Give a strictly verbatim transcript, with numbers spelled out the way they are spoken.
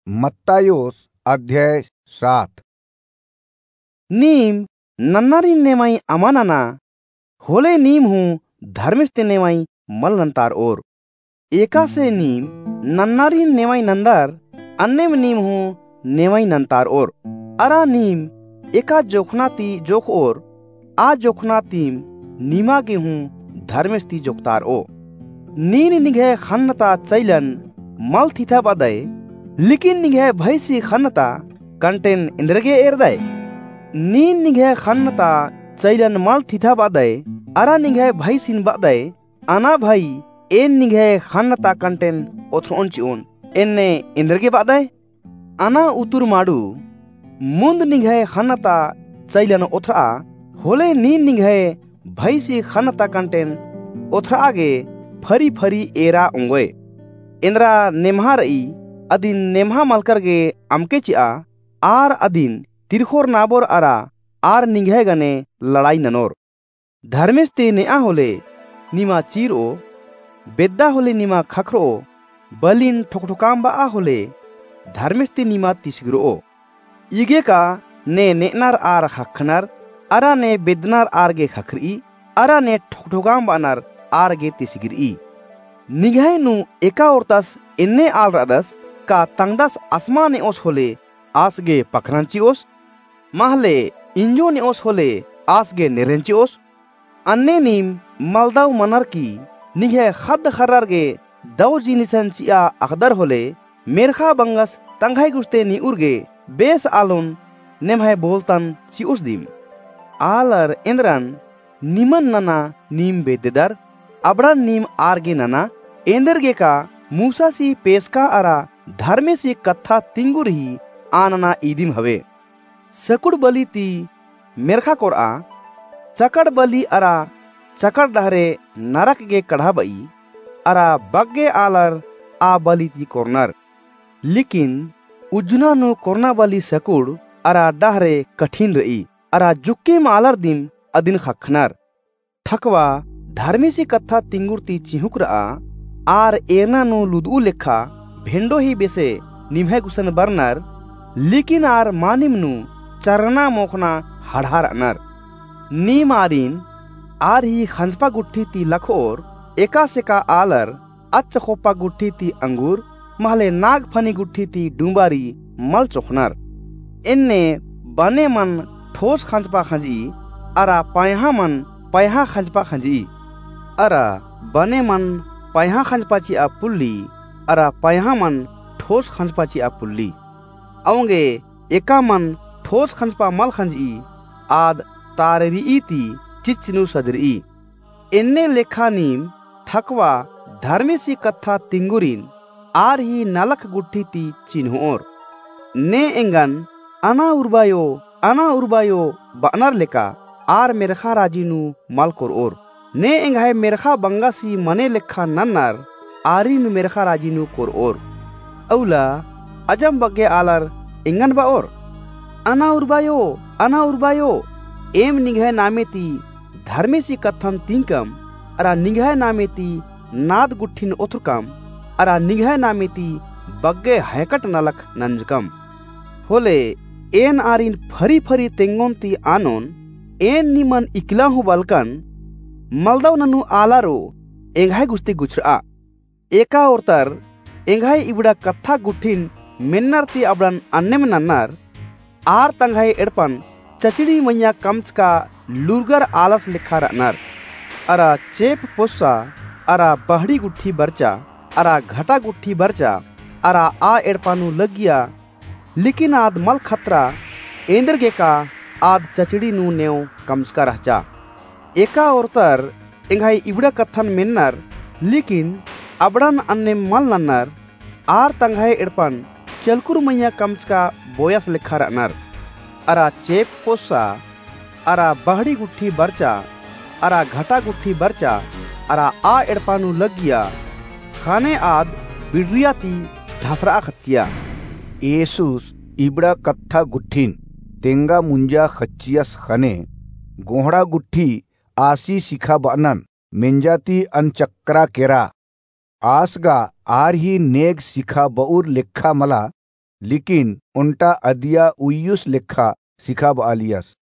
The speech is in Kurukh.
मत्तायोस अध्याय सात। नीम नन्नारिन नेवाई अमा नना, होले नीम हूँ धर्मेस ती नेवाई मल नन्तारओर। एकासे नीम नन्नारिन नेवाई नन्दर, अन्नेम नीम हूँ नेवाई नन्तारओर। अरा नीम एका जोखना ती जोखओर, आ जोखना तीम निमा गे हूँ धर्मेस ती जोखतारओ। नीन निंग्है ख़न्न ता चैलन मल थिथा बअदय, लेकिन निंग्है भैसी ख़न्न ता कंटेन एन्देरगे एरदय? नीन निंग्है ख़न्न ता चैलन मल थिथा बअदय, अरा निंग्है भैसिन बअदय, अना भई, एन निंग्है ख़न्न ता कंटेन ओथरओन चिओन, एन्ने एन्देरगे बअदय? अना उतुर माड़ू, मुन्द निंग्है ख़न्न ता चैलन ओथरआ, होले नीन निंग्है भैसी ख़न्न ता कंटेन ओथरआ गे फरी फरी एरा ओंगोय। एन्दरा नेम्हा रई, अदिन नेम्हा मलकर गे अमके चिआ, आर अदिन तिरखोर नाबोर अरा आर निंग्है गने लड़ाई ननोर। धर्मेस ती नेआ होले निमा चीरओ, बेद्दा होले निमा ख़क्खरओ, बलिन ठोकठोकाम बआ होले धर्मेस ती निमा तिसगिरओ। इगे का ने नेअनर आर ख़क्खनर, अरा ने बेद्दनर आर गे ख़क्खरई, अरा ने ठोकठोकाम बअनर आर गे तिसगिरई। निंग्है नू एका ओर्तस एन्ने आल रअदस, का तंगदस असमा नेओस होले आस गे पखरन चिओस? महले इंजो नेओस होले आस गे नेरन चिओस? अन्ने नीम मलदव मनर की निंग्है ख़द्द ख़र्रर गे दव जिनिसन चिआ अख़दर होले, मेर्ख़ा बंगस तंग्है गुस्ते निउर गे बेस आलोन नेम्है बोलतन चिओस दिम। आलर एन्दरन निमन नना नीम बेद्ददर, अबड़न नीम आर गे नना, एन्देरगेका मूसासी पेसका अरा धर्मेसी कत्था तिंगुर ही आ नना इदिम हवे। सकुड़ बली ती मेर्ख़ा कोरआ, चकड़ बली अरा चकड़ डहरे नरक गे कड़हा बई, अरा बग्गे आलर आ बली ती कोरनर। लेकिन उज्जना नू कोरना बली सकुड़ अरा डहरे कठिन रई, अरा जुक्केम आलर दिम अदिन ख़क्खनर। ठकवा धर्मेसी कत्था तिंगुर ती चिहुँक रआ, आर एरना नू लुदऊ लेखा भेंडो ही बेसे निम्है गुसन बरनर, लेकिन आर मानिम नू चरना मोख़ना हड़हा रअनर। नीम आरिन आर ही ख़ंजपा गुट्ठी ती लखओर, एकासेका आलर अच्चख़ोप्पा गुट्ठी ती अंगूर, महले नागफनी गुट्ठी ती डुम्बारी मल चोख़नर। एन्ने बने मन ठोस ख़ंजपा ख़ंजई, अरा पयहा मन पयहा ख़ंजपा ख़ंजई। अरा बने मन पयहा ख़ंजपा चिआ पुल्ली, अरा पयहा मन ठोस ख़ंजपा चिआ पुल्ली। औंगे एका मन ठोस ख़ंजपा मल ख़ंजई, आद ताररिई ती चिच्च नू सजरई। एन्ने लेखा नीम ठकवा धर्मेसी कत्था तिंगुरिन आर ही नलख गुट्ठी ती चिन्होर। ने एंगन अना उर्बायो, अना उर्बायो बअनर लेका आर मेर्ख़ा राजी नू मल कोरओर। ने एंग्है मेर्ख़ा बंगासी मने लेखा नन्नर आरिन मेर्ख़ा राजी नू कोरओर। अउला अजम बग्गे आलर एंगन बओर, अना उर्बायो, अना उर्बायो, एम निंग्है नामे ती धर्मेसी कत्थन तिंकम, अरा निंग्है नामे ती नाद गुट्ठिन ओथरकम, अरा निंग्है नामे ती बग्गे हैकट नलख नंजकम। होले एन आरिन फरी फरी तेंगोन ती आनोन, एन निमन इकला हूँ बलकन, मलदव ननू आलारो एंग्है गुस्ती गुछरआ। एका ओर्तर एंग्है इबड़ा कत्था गुट्ठिन मेन्नर ती अबड़न अन्नेम नन्नर, आर तंग्है एड़पन चचड़ी मइय्याँ कमचका लूरगर आलस लेखा रअनर। अरा चेंप पोस्सा, अरा बहड़ी गुट्ठी बरचा, अरा घटा गुट्ठी बरचा, अरा आ एड़पा नू लग्गिया, लेकिन आद मल खतरा, एन्देरगेका आद चचड़ी नू नेंव कमचका रहचा। एका ओर्तर एंग्है इबड़ा कत्थन मेन्नर, लेकिन अबड़न अन्नेम मल नन्नर, आर तंग्है एड़पन चलकुर मइय्याँ कमचका बोयस लेखा रअनर। अरा चेंप पोस्सा, अरा बहड़ी गुट्ठी बरचा, अरा घटा गुट्ठी बरचा, अरा आ एड़पा नू लग्गिया, ख़ने आद बिड़रिया ती धसरआ ख़च्चिया। येसुस इबड़ा कत्था गुट्ठिन तेंगा मुंजा ख़च्चियस ख़ने, गोंहड़ा गुट्ठी आसी सिखाबअनन मेंजा ती अनचक्करा केरा। आस गा आर ही नेग सिखाबउर लेखा मला, लेकिन ओन्टा अदिया उइयुस लेखा सिखाबआलियस।